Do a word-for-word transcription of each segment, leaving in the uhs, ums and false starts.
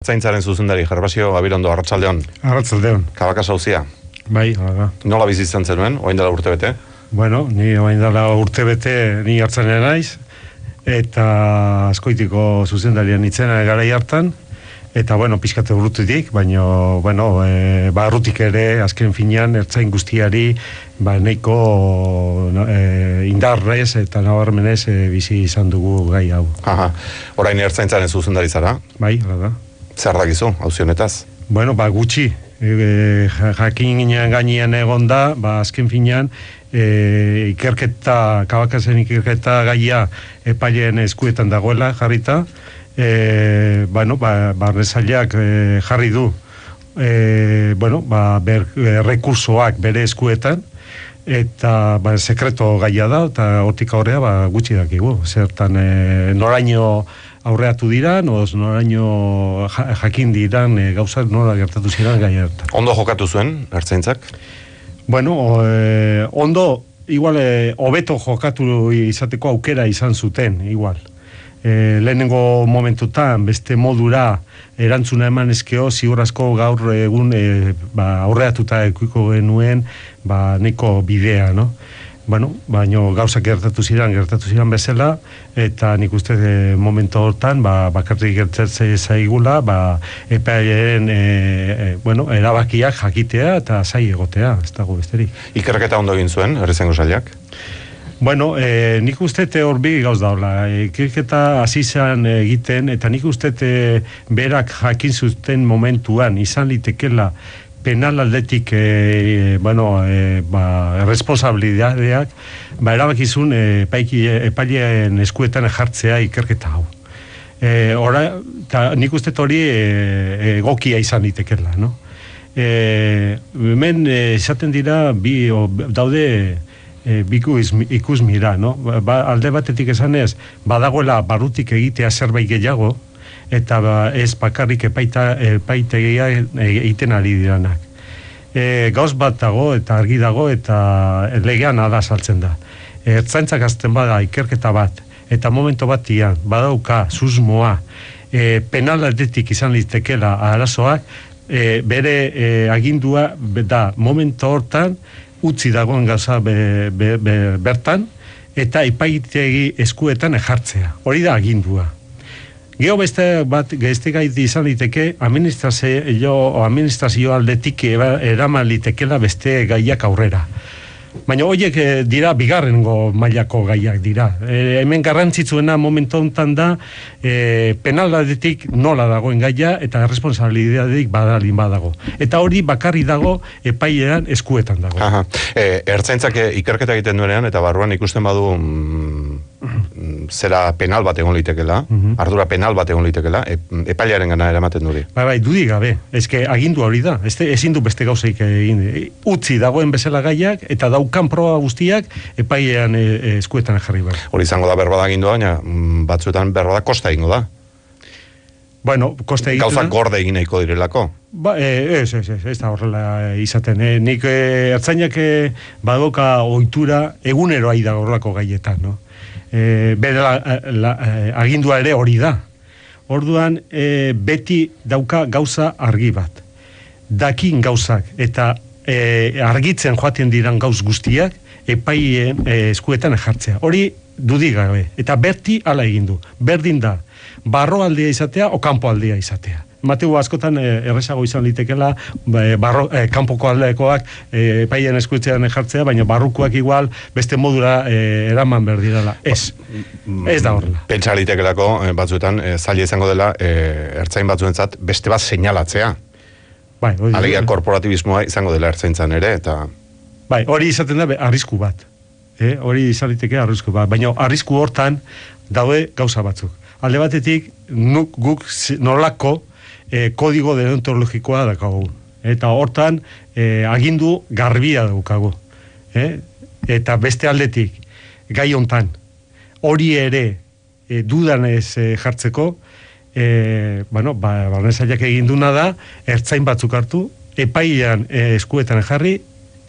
Zaintzaren zuzendari, Gervasio Gabirondo, arratsaldeon. Arratsaldeon. Kabakas auzia. Bai, hala. Nola bizi izan zenuen, orain dela urte bete? Bueno, ni orain dela urte bete ni hartzanen naiz, eta Azkoitiko zuzendarian itzena garai hartan, eta bueno, pizkate urrutetik, baina bueno, e, barrutik ere azken finean ertzain guztiari ba nahiko no, e, indarrez eta nabarmenez e, bizi izan dugu gai hau. Aha. Orain ertzaintzaren zuzendari zara? Bai, hala da. Zer dakizu, auzi honetaz? Bueno, ba, gutxi. E, jakin gainean egon da, ba, azken finean, e, ikerketa, Kabakasen ikerketa gaia epaileen eskuetan dagoela jarrita, e, bueno, ba, barnezailak e, jarri du, e, bueno, ba, ber, e, rekursoak bere eskuetan, eta ba, sekreto gaia da, eta hortik aurrea ba, gutxi dakigu. Zertan, e, noraino aurreatu diran, oz noraino jakin diran e, gauzak nola gertatu ziren gai hartan. Ondo jokatu zuen, ertzaintzak? Bueno, e, ondo, igual, e, hobeto jokatu izateko aukera izan zuten, igual. E, lehenengo momentutan, beste modura erantzuna eman ezkeo, ziurazko gaur egun e, ba, aurreatuta ekuiko genuen, ba, neko bidea, no? Bueno, baino gauzak gertatu ziren, gertatu ziren bezala, eta nik uste de momentu hortan, ba, bakarrik gertatzen zaigula, ba, epaileen, e, e, bueno, erabakiak jakitea eta zai egotea, ez dago besterik. Ikerketa ondo egin zuen, errezengo sailak? Bueno, e, nik uste hor bi gauz daula, ikerketa hasi zen egiten, eta nik uste berak jakin zuten momentuan, izan litekela, penal aldetik e, bueno, e, ba, responsabilidadeak ba, erabakizun e, epaileen eskuetan jartzea ikerketa hau. E, ora, ta, nik uste hori e, egokia izan litekela, no? E, hemen esaten dira bi, o, daude e, biku ikus mira, no? Ba, alde batetik esanez, badagoela barrutik egitea zerbait gehiago, eta ba, ez bakarrik epaita, epaitegia egiten ari diranak. E, gauz bat dago, eta argi dago, eta legean ada saltzen da. Ertzaintzak azten bada ikerketa bat, eta momento batian, badauka, susmoa, e, penal aldetik izan litekela arazoak, e, bere e, agindua da momento hortan, utzi dagoen gauza be, be, be, bertan, eta epaitegi eskuetan ejartzea. Hori da agindua. Geo beste bat gezte gaiti izan liteke administrazio, administrazio aldetik eraman litekela beste gaiak aurrera. Baina horiek dira bigarrengo mailako gaiak dira. E, hemen garrantzitsuena momentu honetan da e, penal aldetik nola dagoen gaia eta responsabilidadetik badalin badago. Eta hori bakarri dago epailean eskuetan dago. Aha. E, ertzaintzak ikerketa egiten duenean eta barruan ikusten badu mm, zera penal bat egon litekela, mm-hmm. ardura penal bat egon litekela, e, epailearen gana eramaten duri. Bai, bai, dudik gabe. Ezke agindu hori da. Este, ezin du beste gauzeik egin. Utzi dagoen bezala gaiak eta daukan proba guztiak epailean e, e, eskuetan jarri behar. Hori izango da berbada agindua, baina batzuetan berbada kosta egingo da. Bueno, kosta egiten gauzak gorde egin nahiko direlako. Ba, ez, ez, ez, ez da horrela izaten. E, nik e, ertzainak e, badoka ohitura egunero aida horrelako gaietan, no? E, bere la, la, agindua ere hori da. Orduan, e, beti dauka gauza argi bat. Dakin gauzak eta e, argitzen joaten diran gauz guztiak epaien e, eskuetan jartzea. Hori dudik gabe. Eta berti hala egin du. Berdin da. Barro aldea izatea o kanpo aldea izatea. Mateu askotan e, errezago izan litekela e, barro, e, kanpoko aldekoak e, epaien eskuetzean jartzea, baina barrukoak igual beste modura e, eraman berdirala. Ez. Ez da horrela. Pentsa litekelako batzuetan e, zaila izango dela e, ertzain batzuentzat beste bat seinalatzea. Bai, hori, alegia korporatibismoa izango dela ertzaintzan ere, eta... Bai, hori izaten da arrisku bat. E, hori izan liteke arrisku bat. Baina arrisku hortan daude gauza batzuk. Alde batetik, nuk guk nolako e, kodigo deontologikoa dakagu. Eta hortan e, agindu garbia daukagu. E? Eta beste aldetik, gai hontan, hori ere e, dudan ez e, jartzeko, e, bueno, ba, barnezaiak egin duna da, ertzain batzuk hartu, epailean e, eskuetan jarri,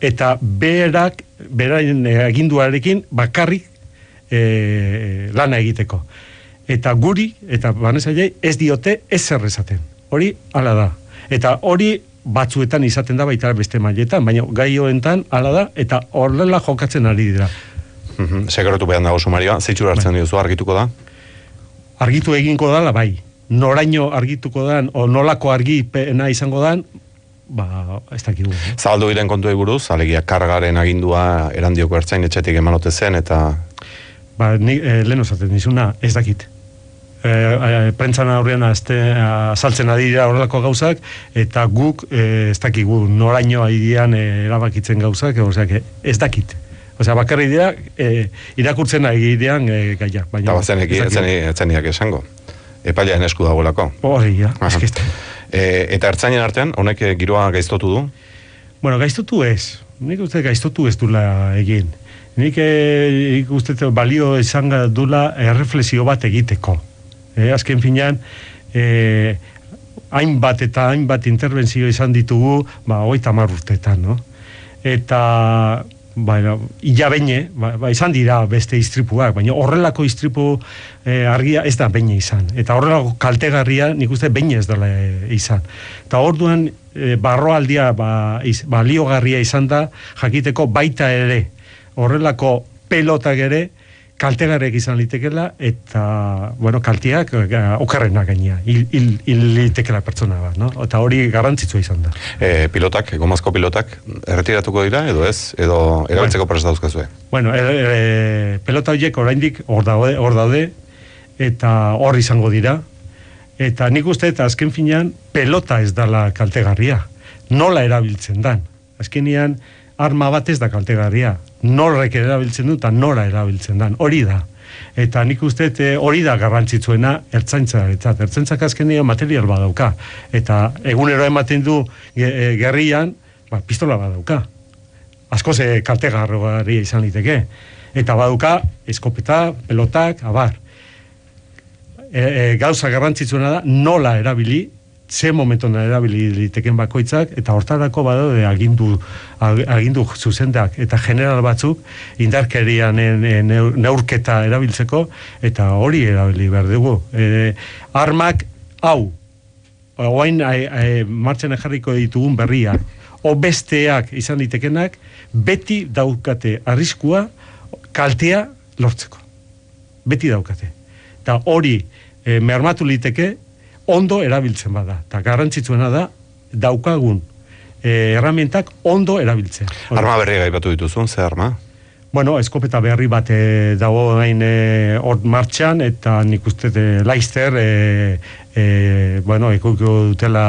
eta berak, beraien e, aginduarekin bakarrik e, lana egiteko. Eta guri, eta barnezailei, ez diote ez zer esaten. Hori hala da. Eta hori batzuetan izaten da baita beste mailetan, baina gai honetan hala da, eta horrela jokatzen ari dira. Mm-hmm. Sekeretu behan dago sumarioa, zeitzura hartzen diozu, argituko da? Argitu eginko dala, bai. Noraino argituko dan, o nolako argipena izango dan, ba, ez dakigu. Eh? Zabaldu diren kontuei buruz, alegia kargaren agindua erandioko ertzain etxetik emanote zen, eta... Ba, ni, eh, lehen osaten nizuna, ez dakit. E, e, prentzan aurrean azaltzen adira horrelako gauzak, eta guk e, ez dakigu noraino aidean e, erabakitzen gauzak, oseak, ez dakit. Osea, bakarri dira, e, irakurtzen agidean e, gaiak. Eta bazen etzeniak esango. Epailean esku dagoelako. Hori, ja, eskizte. E, eta ertzainen artean, honek giroa gaiztotu du? Bueno, gaiztotu ez. Nik uste gaiztotu ez dula egin. Nik e, uste balio izan dula erreflexio bat egiteko. E, azken finean, e, hainbat eta hainbat interbentzio izan ditugu, ba, hogeita hamar urteetan, no? Eta, baina, illa beine, ba, ba, izan dira beste istripuak, baina horrelako istripu e, argia ez da beine izan. Eta horrelako kaltegarria nik uste beine ez dela e, izan. Eta orduan, e, barroaldia ba, iz, baliogarria izan da, jakiteko baita ere, horrelako pelotak ere, kaltegarek izan litekela, eta, bueno, kalteak okerrenak gainea, hil, hil, hil litekela pertsona bat, no? Eta hori garrantzitsua izan da. E, pilotak, gomazko pilotak, erretiratuko dira, edo ez? Edo erabiltzeko bueno, prest dauzkazue? Bueno, e, e, pelota horiek oraindik hor daude, hor daude, eta hor izango dira, eta nik uste, eta azken finean, pelota ez dala kaltegarria. Nola erabiltzen dan? Azkenian, arma bat ez da kaltegarria. Norrek erabiltzen du eta nora erabiltzen dan, hori da. Eta nik uste hori da garrantzitsuena ertzaintza, eta ertzaintzak azkenean material badauka. Eta egunero ematen du gerrian, ba, pistola badauka. Asko ze kaltegarria izan liteke. Eta badauka eskopeta, pelotak, abar. E, e, gauza garrantzitsuena da nola erabili, ze momentuan erabili liteken bakoitzak, eta hortarako badaude agindu, agindu zuzendak eta general batzuk indarkerian neurketa erabiltzeko, eta hori erabili behar dugu. E, armak, hau, oain martxan jarriko ditugun berriak, o besteak izan litekenak, beti daukate arriskua kaltea lortzeko. Beti daukate. Eta hori e, mermatu liteke, ondo erabiltzen bada. Eta garrantzitsuena da, daukagun e, erramientak ondo erabiltzen. Arma berri gaipatu dituzun, ze arma? Bueno, eskopeta berri bat e, dago gain hor e, martxan, eta nik uste e, Leicester, e, e, bueno, ekoiko dutela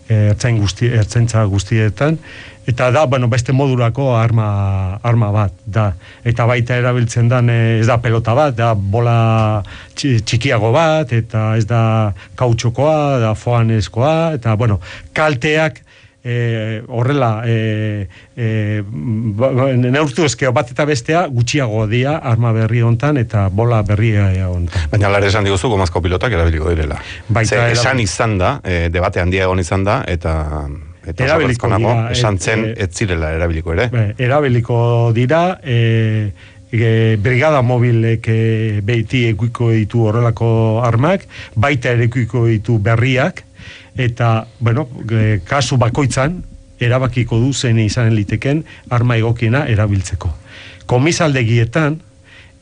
e, ertzain guzti, ertzaintza guztietan, eta da, bueno, beste modulako arma, arma bat, da. Eta baita erabiltzen dan, ez da pelota bat, da bola txikiago bat, eta ez da kautxokoa, da foanezkoa, eta, bueno, kalteak, e, horrela, e, e, neurtu ezkeo bat eta bestea, gutxiago dia arma berri hontan, eta bola berria hontan. Baina lara esan diguzu, gomazko pilotak erabiliko direla. Baita, Ze, esan izan da, e, debate handia egon izan da, eta... Eta erabiliko dira, esan zen e, ez zirela erabiliko ere. Be, erabiliko dira, e, e, brigada mobilek e, behiti ekuiko ditu horrelako armak, baita ere ekuiko ditu berriak, eta, bueno, e, kasu bakoitzan, erabakiko du zen izan liteken arma egokiena erabiltzeko. Komisaldegietan,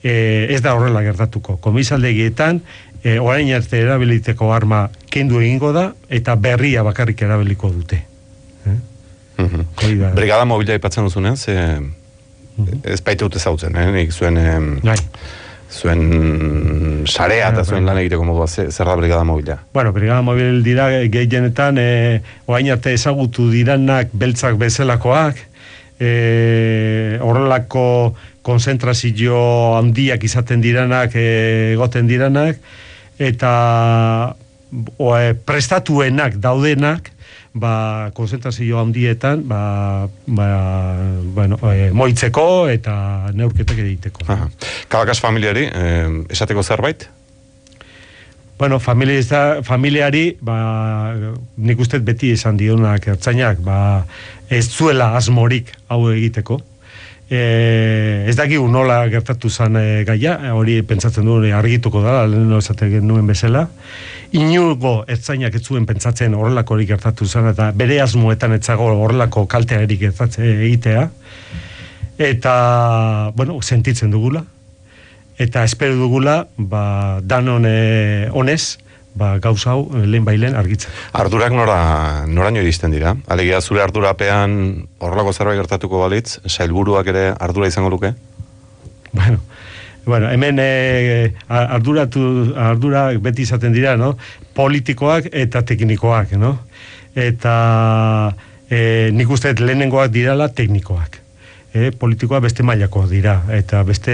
e, ez da horrela gertatuko, komisaldegietan, e, orain arte erabiliteko arma kendu egingo da, eta berria bakarrik erabiliko dute. Eh? Mm-hmm. Brigada mobila ipatzen duzunean, ze mm-hmm. ez baita dute zautzen, eh? Nik zuen eh, zuen sarea eta zuen lan egiteko modua, zer da brigada mobila? Bueno, brigada mobil dira gehienetan eh, oain arte ezagutu diranak beltzak bezalakoak, eh, horrelako konzentrazio handiak izaten diranak, eh, egoten diranak, eta o, eh, prestatuenak daudenak, ba, konzentrazio handietan, ba, ba, bueno, e, moitzeko eta neurketak egiteko. Aha. Kabakas familiari, eh, esateko zerbait? Bueno, familia, familiari, ba, nik uste beti esan dionak ertzainak, ba, ez zuela asmorik hau egiteko, E, ez dakigu nola gertatu zen e, gaia, hori pentsatzen du argituko da, lehen esaten nuen bezala. Inugo ertzainak ez zuen pentsatzen horrelako hori gertatu zen, eta bere asmoetan etzago horrelako kaltea erik egitea. Eta, bueno, sentitzen dugula. Eta espero dugula, ba, danon e, honez, ba, gauza hau lehen bailen argitzen. Ardurak nora, noraino iristen dira? Alegia zure ardurapean horrelako zerbait gertatuko balitz, sailburuak ere ardura izango luke? Bueno, bueno hemen e, arduratu, ardura beti izaten dira, no? Politikoak eta teknikoak, no? Eta e, nik uste lehenengoak dirala teknikoak. E, politikoa beste mailako dira, eta beste,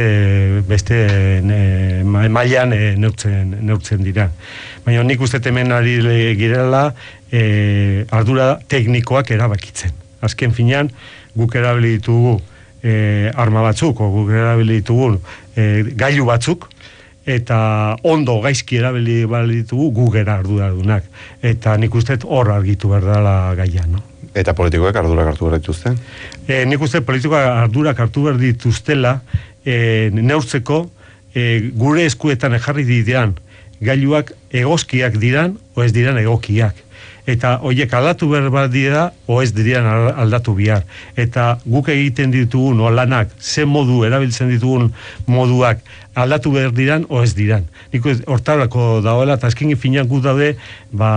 beste e, mailan e, neurtzen, neurtzen dira. Baina nik uste hemen ari girela e, ardura teknikoak erabakitzen. Azken finean, guk erabili ditugu e, arma batzuk, o guk erabili ditugu e, gailu batzuk, eta ondo gaizki erabili ditugu gu gera arduradunak. Eta nik uste hor argitu behar dela gaia, no? Eta politikoek ardurak hartu behar dituzte? E, nik uste politikoak ardurak hartu behar dituztela e, neurtzeko e, gure eskuetan ejarri diran gailuak egozkiak diran o ez diran egokiak. Eta horiek aldatu behar dira o ez diran aldatu bihar. Eta guk egiten ditugun o lanak, ze modu erabiltzen ditugun moduak aldatu behar diran o ez diran. Nik hortarako dagoela, eta azken finean gu daude ba,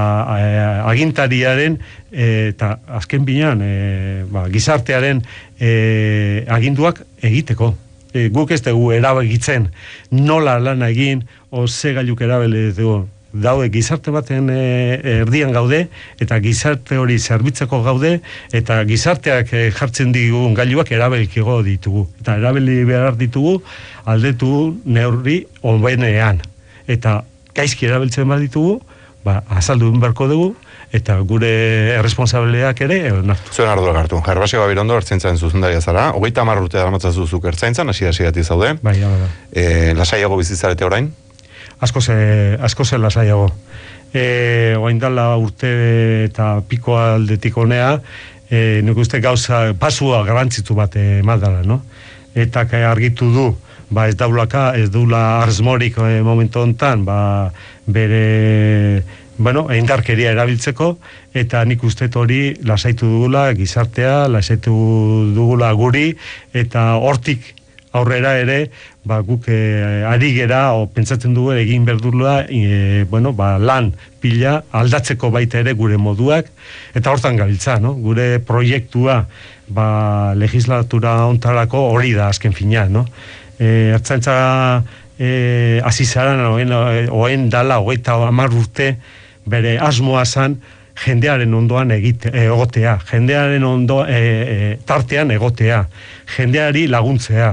agintariaren e, eta azken finean e, ba, gizartearen e, aginduak egiteko. E, guk ez dugu erabakitzen nola lana egin o ze gailuk erabili dugu. Daude gizarte baten e, erdian gaude, eta gizarte hori zerbitzeko gaude, eta gizarteak e, jartzen digun gailuak erabiliko ditugu. Eta erabili behar ditugu aldetu neurri hobenean. Eta gaizki erabiltzen bat ditugu, ba, azaldu beharko dugu, eta gure erresponsabiliak ere onartu. Zuen ardurak hartu. Jarbasio Gabirondo ertzaintzaren zuzendaria zara. Hogeita hamar urte darmatzazu zuk ertzaintzan, hasi-hasiatik zaude. Bai, bai, bai. E, lasaiago bizitzarete orain? Asko ze, asko ze lasaiago. E, oain dala urte eta piko aldetik honea, e, nik uste gauza, pasua garantzitu bat emaldala, no? Eta argitu du, ba ez daulaka, ez daula arzmorik e, momentu hontan, ba bere, bueno, indarkeria erabiltzeko, eta nik uste hori lasaitu dugula gizartea, lasaitu dugula guri, eta hortik aurrera ere, ba, guk e, ari gera, o pentsatzen dugu egin berdurla, e, bueno, ba, lan pila aldatzeko baita ere gure moduak, eta hortan gabiltza, no? Gure proiektua, ba, legislatura ontarako hori da azken fina, no? E, Ertzaintza e, azizaran, oen, oen dala, hogeita hamar urte, bere asmoa zan, jendearen ondoan egite, egotea, jendearen ondo, e, e, tartean egotea, jendeari laguntzea.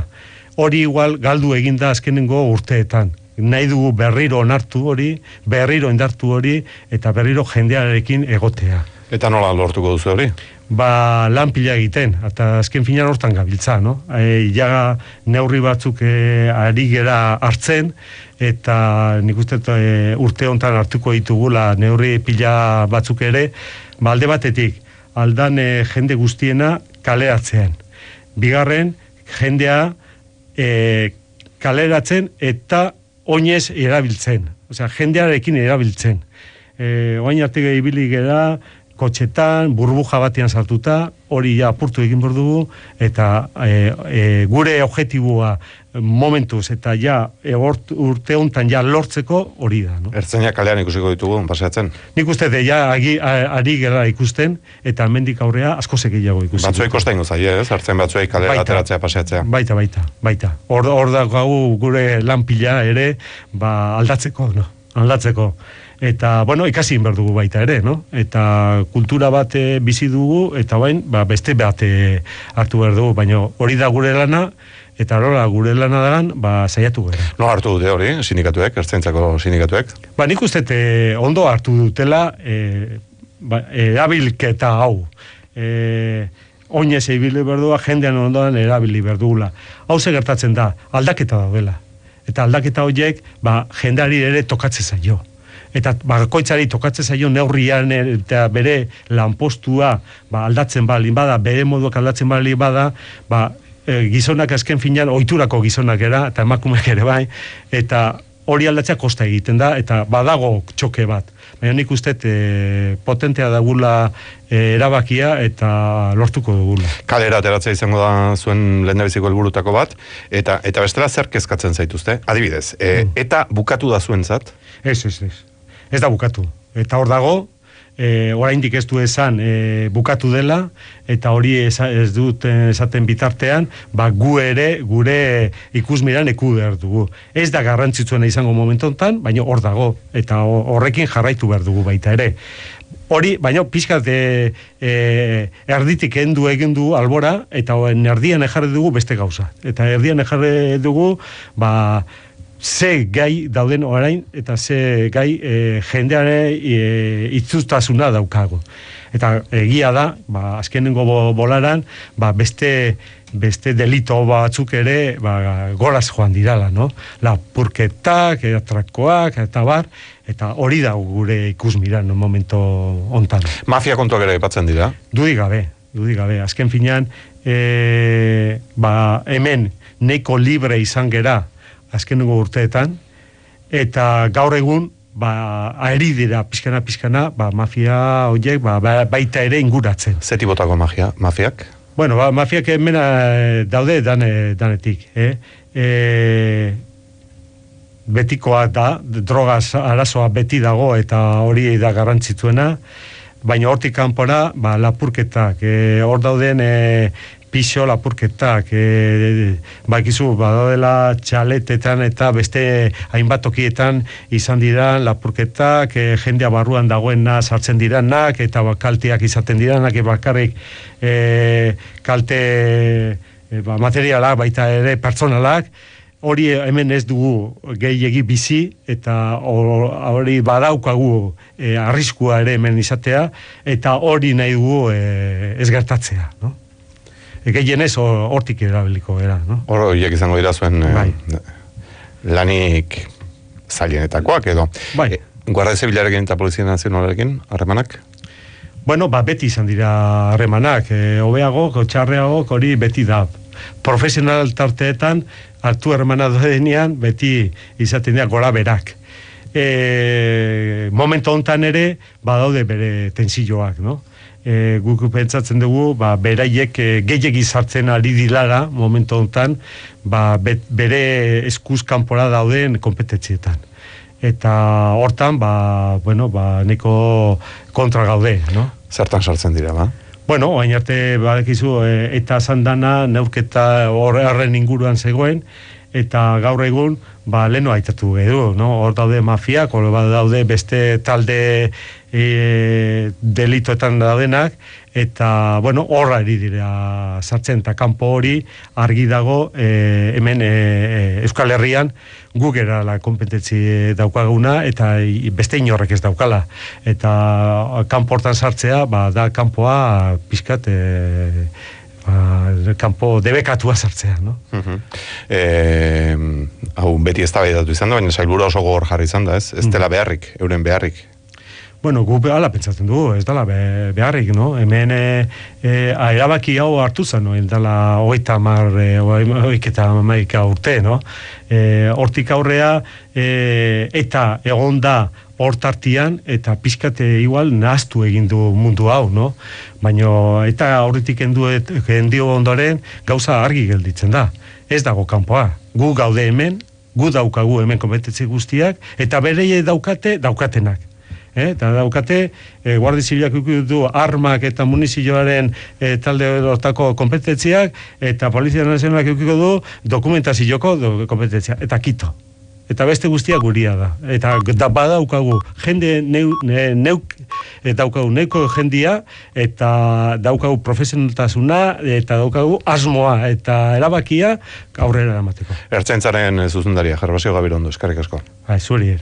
Hori igual galdu eginda azkenengo urteetan. Nahi dugu berriro onartu hori, berriro indartu hori, eta berriro jendearekin egotea. Eta nola lortuko duzu hori? Ba, lan pila egiten, eta azken finan hortan gabiltza, no? E, ja neurri batzuk e, ari gera hartzen, eta nik uste e, urte hontan hartuko ditugula neurri pila batzuk ere, ba, alde batetik, aldan e, jende guztiena kaleratzean. Bigarren, jendea E, kaleratzen eta oinez erabiltzen. Osea, jendearekin erabiltzen. E, oain arte ibili gera, kotxetan, burbuja batean sartuta, hori ja apurtu egin behar dugu, eta e, e, gure objektiboa momentuz, eta ja e, urte hontan ja lortzeko hori da. No? Ertzainak kalean ikusiko ditugu, paseatzen? Nik uste de ja agi, ari gera ikusten, eta mendik aurrea asko segiago ikusten. Batzuei kosta ingo zaie, ez? Ertzain batzuei kalera ateratzea, paseatzea. Baita, baita, baita. Hor, hor da gau gure lan pila ere, ba, aldatzeko, no? Aldatzeko. Eta, bueno, ikasi behar dugu baita ere, no? Eta kultura bat bizi dugu, eta bain, ba, beste bat hartu behar dugu, baina hori da gure lana, eta horrela gure lana dagan, ba, saiatu gara. No hartu dute hori, sindikatuek, ertzaintzako sindikatuek? Ba, nik uste ondo hartu dutela, e, ba, erabilketa hau. E, oinez ibili berdua, jendean ondoan erabili berdugula. Hau ze gertatzen da, aldaketa daudela. Eta aldaketa horiek, ba, jendeari ere tokatzen zaio. Eta bakoitzari tokatzen zaio neurrian eta bere lanpostua ba, aldatzen baldin bada, bere moduak aldatzen baldin bada, ba, e, gizonak azken finean, ohiturako gizonak era, eta emakumeak ere bai, eta hori aldatzea kosta egiten da, eta badago txoke bat. Baina nik uste e, potentea dagula e, erabakia eta lortuko dugula. Kalera ateratzea izango da zuen lehendabiziko helburutako bat, eta eta bestela zer kezkatzen zaituzte? Adibidez, e, mm. eta bukatu da zuentzat? Ez, ez, ez. Ez da bukatu. Eta hor dago, e, oraindik ez du esan e, bukatu dela, eta hori ez, ez dut esaten bitartean, ba, gu ere, gure ikusmiran eku behar dugu. Ez da garrantzitsuena izango momentu honetan, baina hor dago, eta horrekin jarraitu behar dugu baita ere. Hori, baina pixkat e, e, erditik endu egin du albora, eta erdian ejarri dugu beste gauza. Eta erdian ejarri dugu, ba, ze gai dauden orain, eta ze gai e, jendeare e, itzustasuna daukago. Eta egia da, ba, azkenengo bolaran, ba, beste, beste delito batzuk ere ba, goraz joan dirala, no? Lapurketak, atrakoak, eta bar, eta hori da gure ikusmira no momento hontan. Mafia kontuak ere aipatzen dira? Dudik gabe, dudik gabe. Azken finean, e, ba, hemen neiko libre izan gera, azkenengo urteetan, eta gaur egun, ba, aeri dira, pizkana, pizkana, ba, mafia horiek, ba, baita ere inguratzen. Zeti botako magia, mafiak? Bueno, ba, mafiak hemena daude dane, danetik, eh? E, betikoa da, drogaz arazoa beti dago, eta hori da garrantzitsuena, baina hortik kanpora, ba, lapurketak, eh, hor dauden, eh, pixo lapurketak, e, bakizu, badaudela txaletetan eta beste hainbat tokietan izan dira lapurketak, e, jendea barruan dagoena sartzen diranak, eta kalteak izaten diranak, e, bakarrik e, kalte e, ba, materialak, baita ere pertsonalak, hori hemen ez dugu gehiegi bizi, eta hori badaukagu e, arriskua ere hemen izatea, eta hori nahi dugu e, ez gertatzea, no? Gehienez hortik erabiliko era, no? Hor horiek izango dira zuen bai. eh, lanik zailenetakoak edo. Bai. E, Guardia Zibilarekin eta Polizia Nazionalarekin harremanak? Bueno, ba, beti izan dira harremanak. E, hobeago, txarreago, hori beti da. Profesional tarteetan, hartu harremana denean, beti izaten dira gora berak. E, momento hontan ere, badaude bere tensioak, no? E, guk pentsatzen dugu, ba, beraiek e, gehiegi sartzen ari dilara momentu honetan, ba, bet, bere eskuz kanpora dauden kompetentzietan. Eta hortan, ba, bueno, ba, neko kontra gaude, no? Zertan sartzen dira, ba? Bueno, hain arte, badakizu, e, eta zandana, neurketa horren inguruan zegoen, eta gaur egun, ba, leno aitatu edu, no? Hor daude mafiak, hor daude beste talde e, delitoetan daudenak, eta, bueno, horra eri dira sartzen, eta kanpo hori argi dago e, hemen e, Euskal Herrian guk era la kompetentzi daukaguna, eta beste inorrek ez daukala. Eta kanpo hortan sartzea, ba, da kanpoa pizkat e, ba, kanpo debekatua sartzea, no? Uh-huh. E, hau beti ez da behidatu izan da, baina sailburu oso gogor jarri izan da, ez? Ez dela beharrik, euren beharrik. Bueno, gu ala pentsatzen dugu, ez dela be, beharrik, no? Hemen e, e, erabaki hau hartu zen, no? Dela hogeita hamar, hogeita hamaika urte, no? E, hortik aurrea, e, eta egon da hortartian, eta pixkate igual nahaztu egin du mundu hau, no? Baina eta horretik endio ondoren gauza argi gelditzen da. Ez dago kanpoa. Gu gaude hemen, gu daukagu hemen kompetentzi guztiak, eta bereie daukate daukatenak. Eh, eta daukate, eh, Guardia Zibilak du armak eta munizioaren eh, talde hortako kompetentziak, eta Polizia Nazionalak eukiko du dokumentazioko do, kompetentzia, eta kito. Eta beste guztia guria da. Eta da badaukagu jende neu, ne, neuk, e, daukagu neuko jendia, eta daukagu profesionaltasuna, eta daukagu asmoa, eta erabakia aurrera eramateko. Ertzaintzaren zuzendaria, Gervasio Gabirondo, eskerrik asko. Ba, zuri.